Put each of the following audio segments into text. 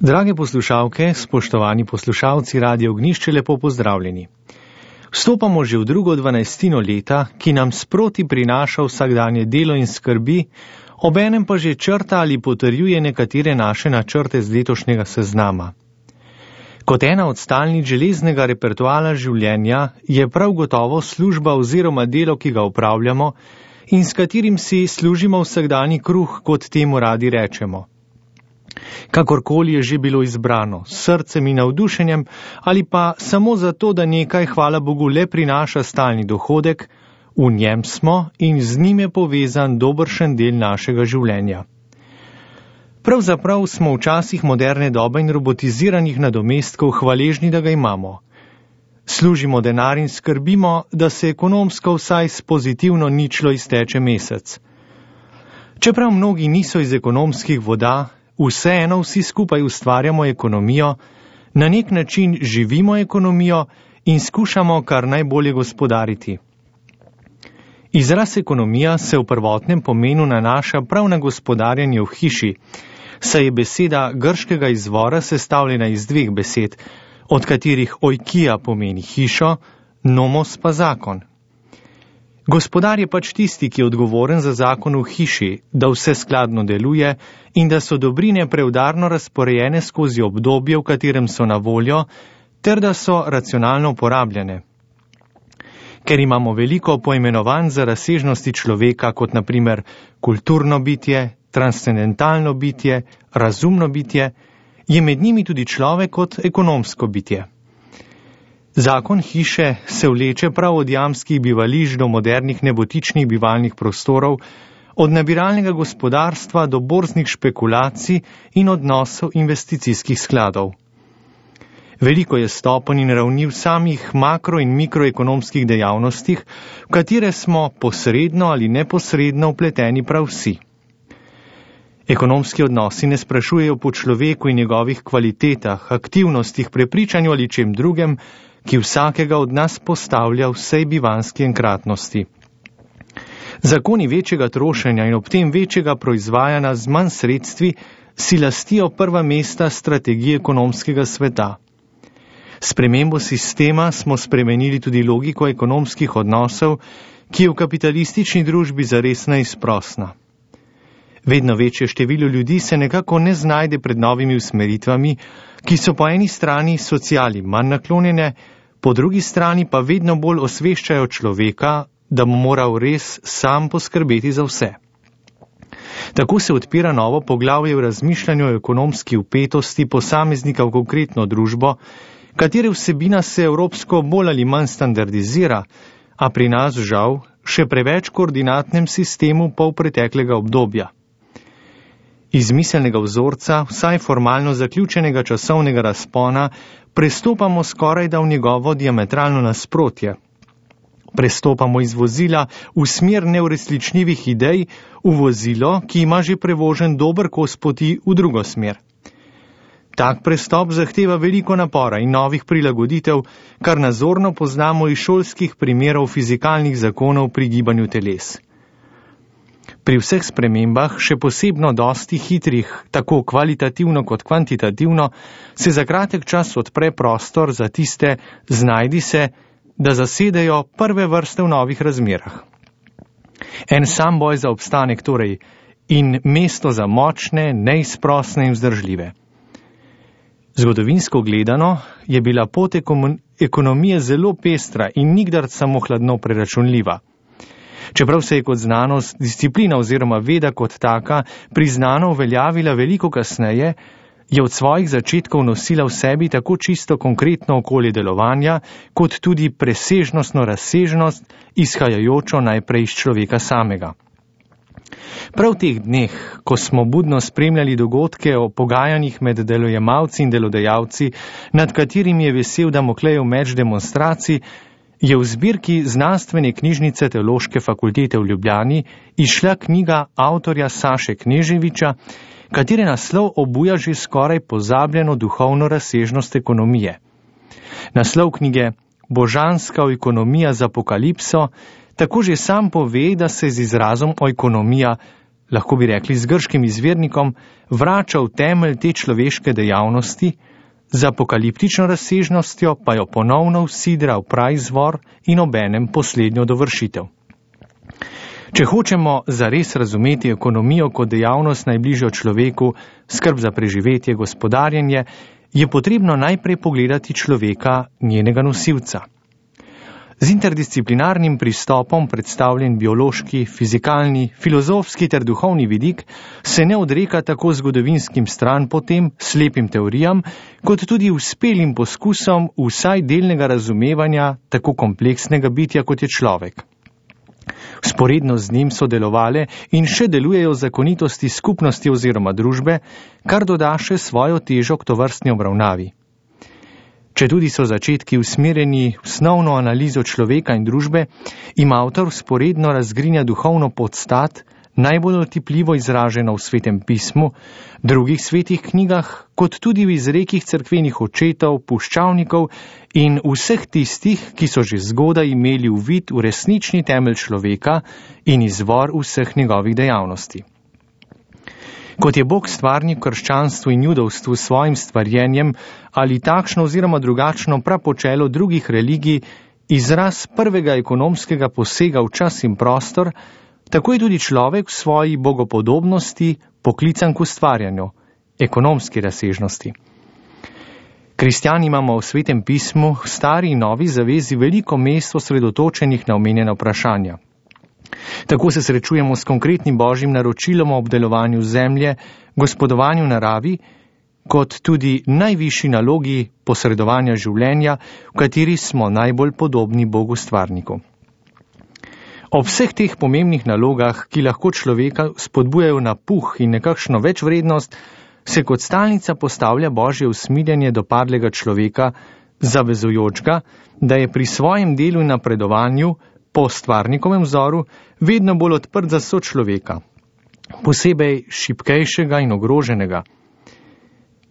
Drage poslušalke, spoštovani poslušalci Radia Ognjišče, lepo pozdravljeni. Vstopamo že v drugo 12. leta, ki nam sproti prinaša vsakdanje delo in skrbi, obenem pa že črta ali potrjuje nekatere naše načrte z letošnjega seznama. Kot ena od stalnic železnega repertoala življenja je prav gotovo služba oziroma delo, ki ga opravljamo in s katerim si služimo vsakdanji kruh, kot temu radi rečemo. Kakorkoli je že bilo izbrano, s srcem in navdušenjem ali pa samo zato, da nekaj, hvala Bogu, le prinaša stalni dohodek, v njem smo in z njim je povezan dobršen del našega življenja. Pravzaprav smo v časih moderne dobe in robotiziranih nadomestkov hvaležni, da ga imamo. Služimo denar in skrbimo, da se ekonomsko vsaj s pozitivno ničlo izteče mesec. Čeprav mnogi niso iz ekonomskih voda, vseeno vsi skupaj ustvarjamo ekonomijo, na nek način živimo ekonomijo in skušamo kar najbolje gospodariti. Izraz ekonomija se v prvotnem pomenu nanaša prav na gospodarjenje v hiši, saj je beseda grškega izvora sestavljena iz dveh besed, od katerih oikija pomeni hišo, nomos pa zakon. Gospodar je pač tisti, ki je odgovoren za zakon v hiši, da vse skladno deluje in da so dobrine preudarno razporejene skozi obdobje, v katerem so na voljo, ter da so racionalno uporabljene. Ker imamo veliko poimenovanj za razsežnosti človeka, kot naprimer kulturno bitje, transcendentalno bitje, razumno bitje, je med njimi tudi človek kot ekonomsko bitje. Zakon hiše se vleče prav od jamskih bivališč do modernih nebotičnih bivalnih prostorov, od nabiralnega gospodarstva do borznih špekulacij in odnosov investicijskih skladov. Veliko je stopenj in ravni v samih makro- in mikroekonomskih dejavnostih, v katere smo posredno ali neposredno vpleteni prav vsi. Ekonomski odnosi ne sprašujejo po človeku in njegovih kvalitetah, aktivnostih, prepričanju ali čem drugem, ki vsakega od nas postavlja vsej bivanski enkratnosti. Zakoni večjega trošenja in ob tem večjega proizvajanja z manj sredstvi si lastijo prva mesta strategije ekonomskega sveta. Spremembo sistema smo spremenili tudi logiko ekonomskih odnosov, ki je v kapitalistični družbi zares neizprosna. Vedno večje število ljudi se nekako ne znajde pred novimi usmeritvami, ki so po eni strani sociali manj naklonjene, po drugi strani pa vedno bolj osveščajo človeka, da mu moral res sam poskrbeti za vse. Tako se odpira novo poglavje v razmišljanju o ekonomski vpetosti posameznika v konkretno družbo, katere vsebina se evropsko bolj ali manj standardizira, a pri nas žal še preveč koordinatnem sistemu polpreteklega obdobja. Iz miselnega vzorca, vsaj formalno zaključenega časovnega razpona, prestopamo skorajda v njegovo diametralno nasprotje. Prestopamo iz vozila v smer neuresničljivih idej v vozilo, ki ima že prevožen dober kos poti v drugo smer. Tak prestop zahteva veliko napora in novih prilagoditev, kar nazorno poznamo iz šolskih primerov fizikalnih zakonov pri gibanju teles. Pri vseh spremembah, še posebno dosti hitrih, tako kvalitativno kot kvantitativno, se za kratek čas odpre prostor za tiste znajdi se, da zasedejo prve vrste v novih razmerah. En sam boj za obstanek torej in mesto za močne, neizprosne in vzdržljive. Zgodovinsko gledano je bila pot ekonomije zelo pestra in nikdar samo hladno preračunljiva. Čeprav se je kot znanost, disciplina oziroma veda kot taka priznano uveljavila veliko kasneje, je od svojih začetkov nosila v sebi tako čisto konkretno okolje delovanja, kot tudi presežnostno razsežnost, izhajajočo najprej iz človeka samega. Prav v teh dneh, ko smo budno spremljali dogodke o pogajanjih med delojemalci in delodajalci, nad katerimi je vesel Damoklejev meč demonstracij, je v zbirki znanstvene knjižnice Teološke fakultete v Ljubljani izšla knjiga avtorja Saše Kneževiča, katere naslov obuja že skoraj pozabljeno duhovno razsežnost ekonomije. Naslov knjige Božanska ekonomija z apokalipso tako že sam pove, da se z izrazom oikonomija lahko bi rekli z grškim izvirnikom, vrača v temelj te človeške dejavnosti, z apokaliptično razsežnostjo pa jo ponovno vsidra v praizvor in obenem poslednjo dovršitev. Če hočemo zares razumeti ekonomijo kot dejavnost najbližjo človeku, skrb za preživetje, gospodarjenje, je potrebno najprej pogledati človeka, njenega nosilca. Z interdisciplinarnim pristopom predstavljen biološki, fizikalni, filozofski ter duhovni vidik se ne odreka tako zgodovinskim stranpotem, slepim teorijam, kot tudi uspelim poskusom vsaj delnega razumevanja tako kompleksnega bitja, kot je človek. Vzporedno z njim so delovale in še delujejo zakonitosti skupnosti oziroma družbe, kar doda še svojo težo k tovrstni obravnavi. Če tudi so začetki usmerjeni v osnovno analizo človeka in družbe, ima avtor vzporedno razgrinja duhovno podstat, najbolj otipljivo izraženo v Svetem pismu, drugih svetih knjigah, kot tudi v izrekih cerkvenih očetov, puščavnikov in vseh tistih, ki so že zgodaj imeli uvid v resnični temelj človeka in izvor vseh njegovih dejavnosti. Kot je Bog stvarnik v krščanstvu in judovstvu s svojim stvarjenjem ali takšno oziroma drugačno prapočelo drugih religij izraz prvega ekonomskega posega v čas in prostor, tako je tudi človek v svoji bogopodobnosti poklican k ustvarjanju, ekonomski razsežnosti. Kristjani imamo v Svetem pismu, v stari in novi zavezi veliko mest osredotočenih na omenjena vprašanja. Tako se srečujemo s konkretnim božjim naročilom o obdelovanju zemlje, gospodovanju naravi, kot tudi najvišji nalogi posredovanja življenja, v kateri smo najbolj podobni Bogu stvarniku. Ob vseh teh pomembnih nalogah, ki lahko človeka spodbujajo na puh in nekakšno večvrednost, se kot stalnica postavlja božje usmiljenje do padlega človeka, zavezujočega, da je pri svojem delu in napredovanju po stvarnikovem vzoru vedno bolj odprt za sočloveka, posebej šibkejšega in ogroženega.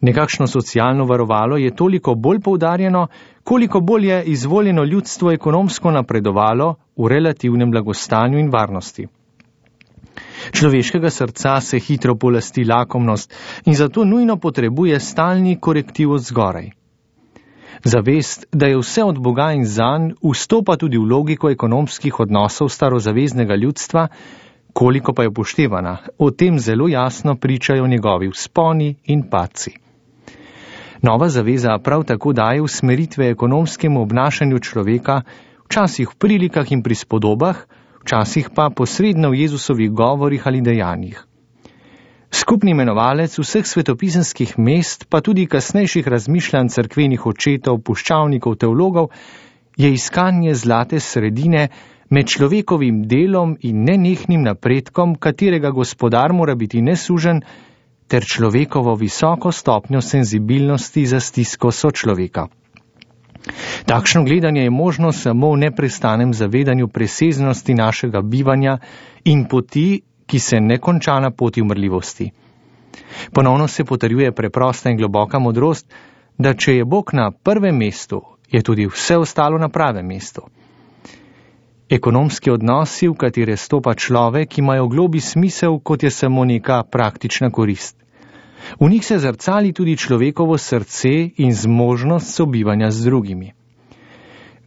Nekakšno socialno varovalo je toliko bolj poudarjeno, koliko bolj je izvoljeno ljudstvo ekonomsko napredovalo v relativnem blagostanju in varnosti. Človeškega srca se hitro polasti lakomnost in zato nujno potrebuje stalni korektiv od zgoraj. Zavest, da je vse od Boga in zanj, vstopa tudi v logiko ekonomskih odnosov starozaveznega ljudstva, koliko pa je upoštevana, o tem zelo jasno pričajo njegovi vzponi in padci. Nova zaveza prav tako daje usmeritve ekonomskemu obnašanju človeka, včasih v prilikah in prispodobah, včasih pa posredno v Jezusovih govorih ali dejanjih. Skupni imenovalec vseh svetopisemskih mest, pa tudi kasnejših razmišljanj cerkvenih očetov, puščavnikov, teologov, je iskanje zlate sredine med človekovim delom in nenehnim napredkom, katerega gospodar mora biti nesužen, ter človekovo visoko stopnjo senzibilnosti za stisko sočloveka. Takšno gledanje je možno samo v neprestanem zavedanju preseznosti našega bivanja in poti, ki se ne konča na poti umrljivosti. Ponovno se potrjuje preprosta in globoka modrost, da če je Bog na prvem mestu, je tudi vse ostalo na pravem mestu. Ekonomski odnosi, v katere stopa človek, imajo globi smisel, kot je samo neka praktična korist. V njih se zrcali tudi človekovo srce in zmožnost sobivanja z drugimi.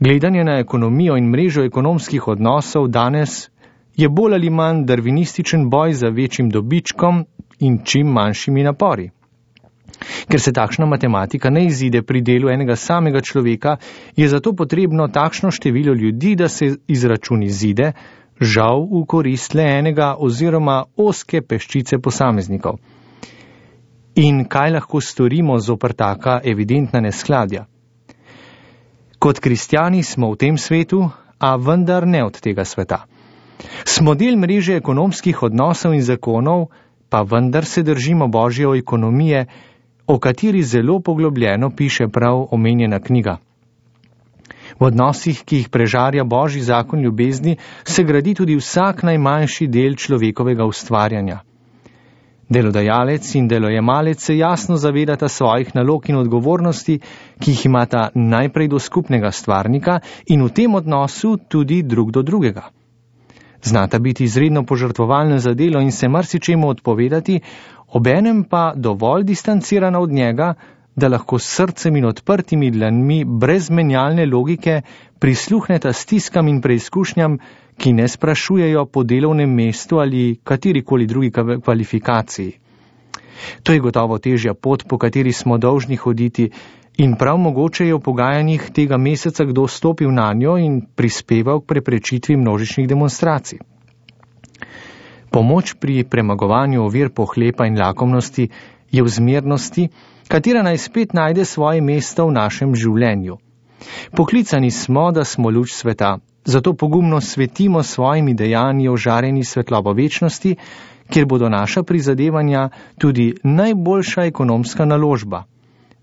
Gledanje na ekonomijo in mrežo ekonomskih odnosov danes je bolj ali manj darvinističen boj za večjim dobičkom in čim manjšimi napori. Ker se takšna matematika ne izide pri delu enega samega človeka, je zato potrebno takšno število ljudi, da se izračun izide, žal v korist le enega oziroma ozke peščice posameznikov. In kaj lahko storimo zoper taka evidentna neskladja? Kot kristjani smo v tem svetu, a vendar ne od tega sveta. Smo del mreže ekonomskih odnosov in zakonov, pa vendar se držimo božje ekonomije, o kateri zelo poglobljeno piše prav omenjena knjiga. V odnosih, ki jih prežarja božji zakon ljubezni, se gradi tudi vsak najmanjši del človekovega ustvarjanja. Delodajalec in delojemalec se jasno zavedata svojih nalog in odgovornosti, ki jih imata najprej do skupnega stvarnika in v tem odnosu tudi drug do drugega. Znata biti izredno požrtvovalna za delo in se marsičemu odpovedati, obenem pa dovolj distancirana od njega, da lahko s srcem in odprtimi dlanmi brez menjalne logike prisluhneta stiskam in preizkušnjam, ki ne sprašujejo po delovnem mestu ali katerikoli drugi kvalifikaciji. To je gotovo težja pot, po kateri smo dolžni hoditi, in prav mogoče je v pogajanjih tega meseca kdo stopil na njo in prispeval k preprečitvi množičnih demonstracij. Pomoč pri premagovanju ovir pohlepa in lakomnosti je v zmernosti, katera naj spet najde svoje mesto v našem življenju. Poklicani smo, da smo luč sveta, zato pogumno svetimo svojimi dejanji ožareni svetlobo večnosti, kjer bodo naša prizadevanja tudi najboljša ekonomska naložba.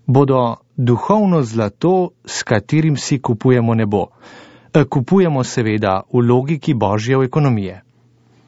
Bodo duhovno zlato, s katerim si kupujemo nebo. Kupujemo seveda v logiki Božje ekonomije.